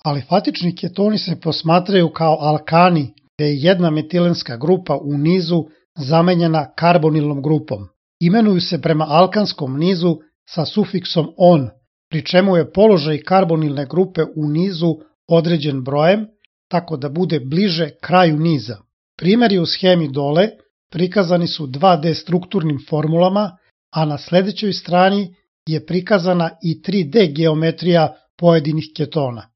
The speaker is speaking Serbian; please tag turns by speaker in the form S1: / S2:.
S1: Alifatični ketoni se posmatraju kao alkani, gde je jedna metilenska grupa u nizu zamenjena karbonilnom grupom. Imenuju se prema alkanskom nizu sa sufiksom on, pri čemu je položaj karbonilne grupe u nizu određen brojem, tako da bude bliže kraju niza. Primjeri u schemi dole prikazani su 2D strukturnim formulama, a na sledećoj strani je prikazana i 3D geometrija pojedinih ketona.